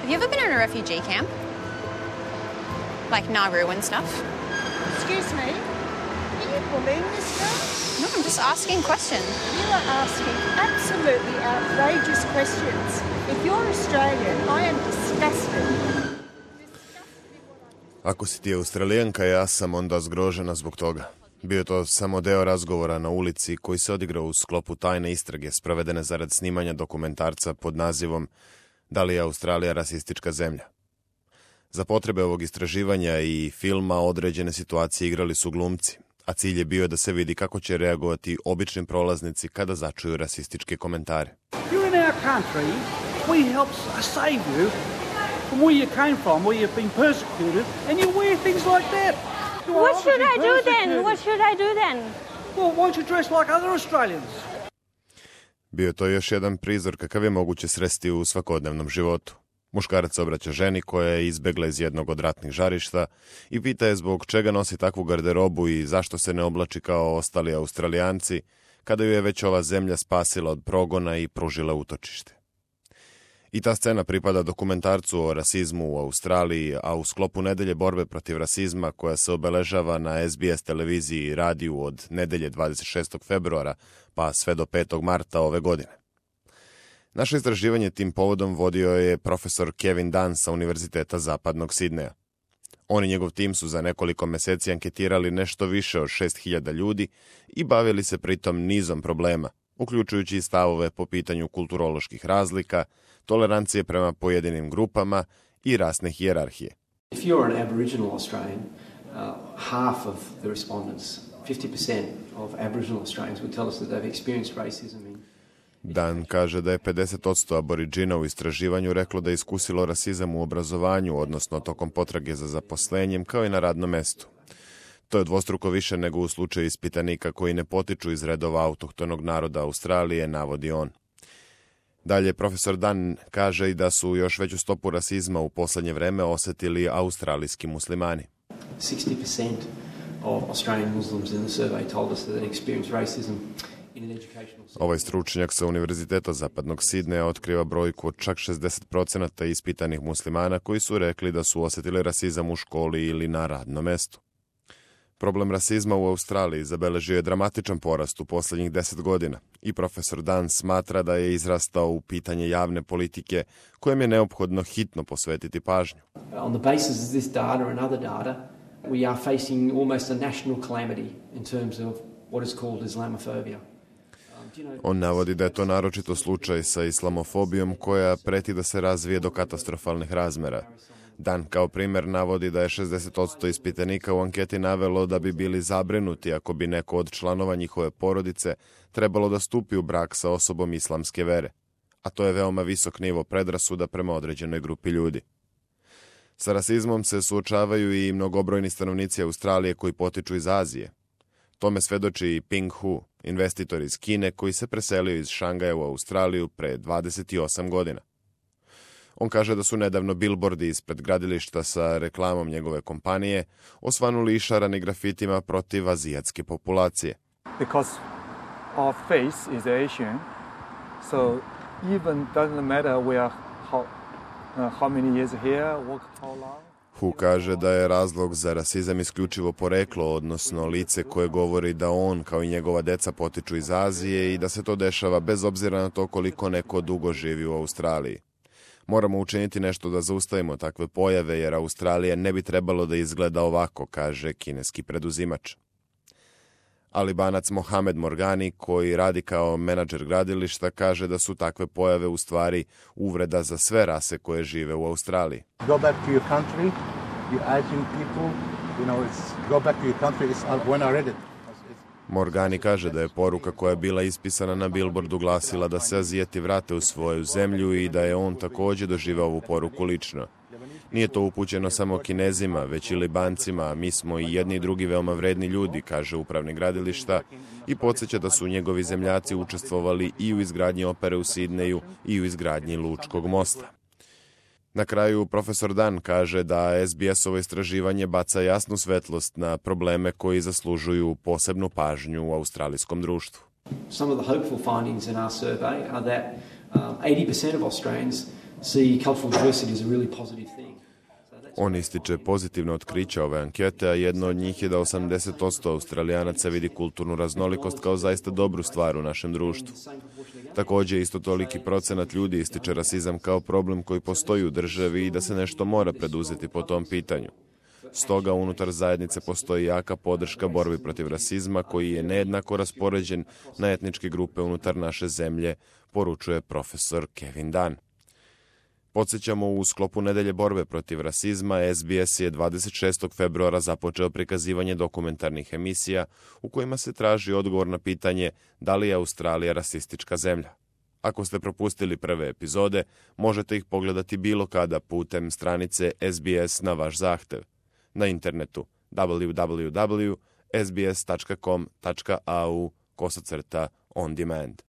Have you ever been in a refugee camp? Like Nauru and stuff? Excuse me, are you bullying this girl? No, I'm just asking questions. You are asking absolutely outrageous questions. If you're Australian, I am disgusted. Ako si ti Australijanka, ja sam onda zgrožena zbog toga. Bio je to samo deo razgovora na ulici koji se odigrao u sklopu tajne istrage sprovedene zarad snimanja dokumentarca pod nazivom Da li je Australija rasistička zemlja? Za potrebe ovog istraživanja i filma određene situacije igrali su glumci, a cilj je bio da se vidi kako će reagovati obični prolaznici kada začuju rasističke komentare. You're in our country, we help save you from where you came from, where you've been persecuted, and you wear things like that. What should I do then? What should I do then? Well, why don't you dress like other Australians? Bio je to još jedan prizor kakav je moguće sresti u svakodnevnom životu. Muškarac se obraća ženi koja je izbegla iz jednog od ratnih žarišta i pita je zbog čega nosi takvu garderobu i zašto se ne oblači kao ostali Australijanci, kada ju je već ova zemlja spasila od progona i pružila utočište. I ta scena pripada dokumentarcu o rasizmu u Australiji, a u sklopu nedelje borbe protiv rasizma koja se obeležava na SBS televiziji i radiju od nedelje 26. februara pa sve do 5. marta ove godine. Naše istraživanje tim povodom vodio je profesor Kevin Dunn sa Univerziteta Zapadnog Sidneja. On i njegov tim su za nekoliko meseci anketirali nešto više od 6.000 ljudi i bavili se pritom nizom problema, uključujući i stavove po pitanju kulturoloških razlika, tolerancije prema pojedinim grupama i rasne hijerarhije. If you're an Aboriginal Australian, half of the respondents, 50% of Aboriginal Australians would tell us that they've experienced racism in. Dan kaže da je 50% Aboridžina u istraživanju reklo da je iskusilo rasizam u obrazovanju, odnosno tokom potrage za zaposlenjem, kao i na radnom mestu. To je dvostruko više nego u slučaju ispitanika koji ne potiču iz redova autohtonog naroda Australije, navodi on. Dalje, profesor Dan kaže i da su još veću stopu rasizma u poslednje vreme osetili australijski muslimani. 60% of Australian Muslims in the survey told us that they experienced racism in an educational setting. Ovaj stručnjak sa Univerziteta Zapadnog Sidneja otkriva brojku od čak 60% ispitanih muslimana koji su rekli da su osetili rasizam u školi ili na radnom mestu. Problem rasizma u Australiji zabeležio je dramatičan porast u poslednjih 10 godina i profesor Dan smatra da je izrastao u pitanje javne politike kojem je neophodno hitno posvetiti pažnju. On the basis of this data and other data, we are facing almost a national calamity in terms of what is called Islamophobia. On navodi da je to naročito slučaj sa islamofobijom koja preti da se razvije do katastrofalnih razmera. Dan kao primjer navodi da je 60% ispitanika u anketi navelo da bi bili zabrinuti ako bi neko od članova njihove porodice trebalo da stupi u brak sa osobom islamske vere, a to je veoma visok nivo predrasuda prema određenoj grupi ljudi. Sa rasizmom se suočavaju i mnogobrojni stanovnici Australije koji potiču iz Azije. Tome svedoči i Ping Hu, investitor iz Kine koji se preselio iz Šangaja u Australiju pre 28 godina. On kaže da su nedavno bilbordi ispred gradilišta sa reklamom njegove kompanije osvanuli išarani grafitima protiv azijatske populacije. Because our face is Asian, so even doesn't matter we are how many years here, work how long. Hu kaže da je razlog za rasizam isključivo poreklo, odnosno lice koje govori da on kao i njegova deca potiču iz Azije i da se to dešava bez obzira na to koliko neko dugo živi u Australiji. Moramo učiniti nešto da zaustavimo takve pojave jer Australija ne bi trebalo da izgleda ovako, kaže kineski preduzimač. Albanac Mohamed Morgani, koji radi kao menadžer gradilišta, kaže da su takve pojave u stvari uvreda za sve rase koje žive u Australiji. Go back to your country, you Asian people, you know, it's go back to your country, it's when I read it. Morgani kaže da je poruka koja je bila ispisana na billboardu glasila da se Azijeti vrate u svoju zemlju i da je on također doživao ovu poruku lično. Nije to upućeno samo Kinezima, već i Libancima, a mi smo i jedni i drugi veoma vredni ljudi, kaže upravnik gradilišta i podsjeća da su njegovi zemljaci učestvovali i u izgradnji opere u Sidneju i u izgradnji Lučkog mosta. Na kraju, profesor Dan kaže da SBS-ovo istraživanje baca jasnu svetlost na probleme koji zaslužuju posebnu pažnju u australijskom društvu. Some of the hopeful findings in our survey are that 80% of Australians see cultural diversity as a really positive thing. On ističe pozitivno otkriće ove ankete, a jedno od njih je da 80% Australijanaca vidi kulturnu raznolikost kao zaista dobru stvar u našem društvu. Također, isto toliki procenat ljudi ističe rasizam kao problem koji postoji u državi i da se nešto mora preduzeti po tom pitanju. Stoga, unutar zajednice postoji jaka podrška borbi protiv rasizma koji je nejednako raspoređen na etničke grupe unutar naše zemlje, poručuje profesor Kevin Dunn. Podsjećamo, u sklopu nedelje borbe protiv rasizma, SBS je 26. februara započeo prikazivanje dokumentarnih emisija u kojima se traži odgovor na pitanje da li je Australija rasistička zemlja. Ako ste propustili prve epizode, možete ih pogledati bilo kada putem stranice SBS na vaš zahtev. Na internetu www.sbs.com.au/on demand.